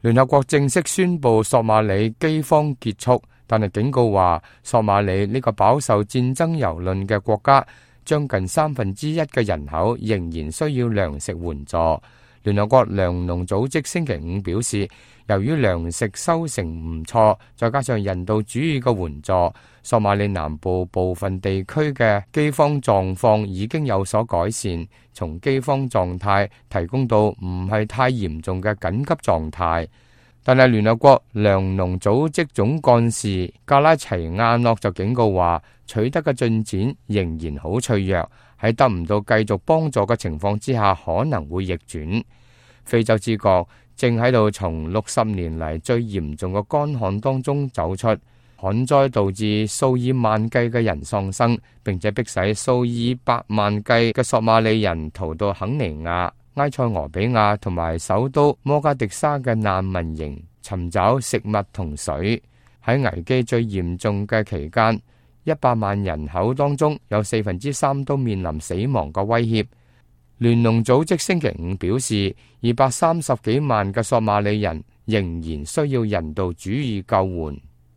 聯合國正式宣布索馬里饑荒結束，但係警告話，索馬里呢個飽受戰爭蹂躪嘅國家，將近1/3嘅人口仍然需要糧食援助。聯合國糧農組織星期五表示，由於糧食收成唔錯，再加上人道主義嘅援助，索馬里南部部分地區嘅饑荒狀況已經有所改善，從饑荒狀態提供到唔係太嚴重嘅緊急狀態。但係聯合國糧農組織總幹事加拉齊亞諾就警告話，取得嘅進展仍然好脆弱，喺得唔到繼續幫助嘅情況之下，可能會逆轉。非洲之角正喺度從60年嚟最嚴重嘅乾旱當中走出，旱災導致數以萬計嘅人喪生，並且迫使數以百萬計嘅索馬里人逃到肯尼亞、埃塞俄比亞同埋首都摩加迪沙嘅難民營，尋找食物同水。喺危機最嚴重嘅期間，100萬人口當中有3%都面臨死亡嘅威脅。聯農組織星期五表示，230幾萬嘅索馬里人仍然需要人道主義救援。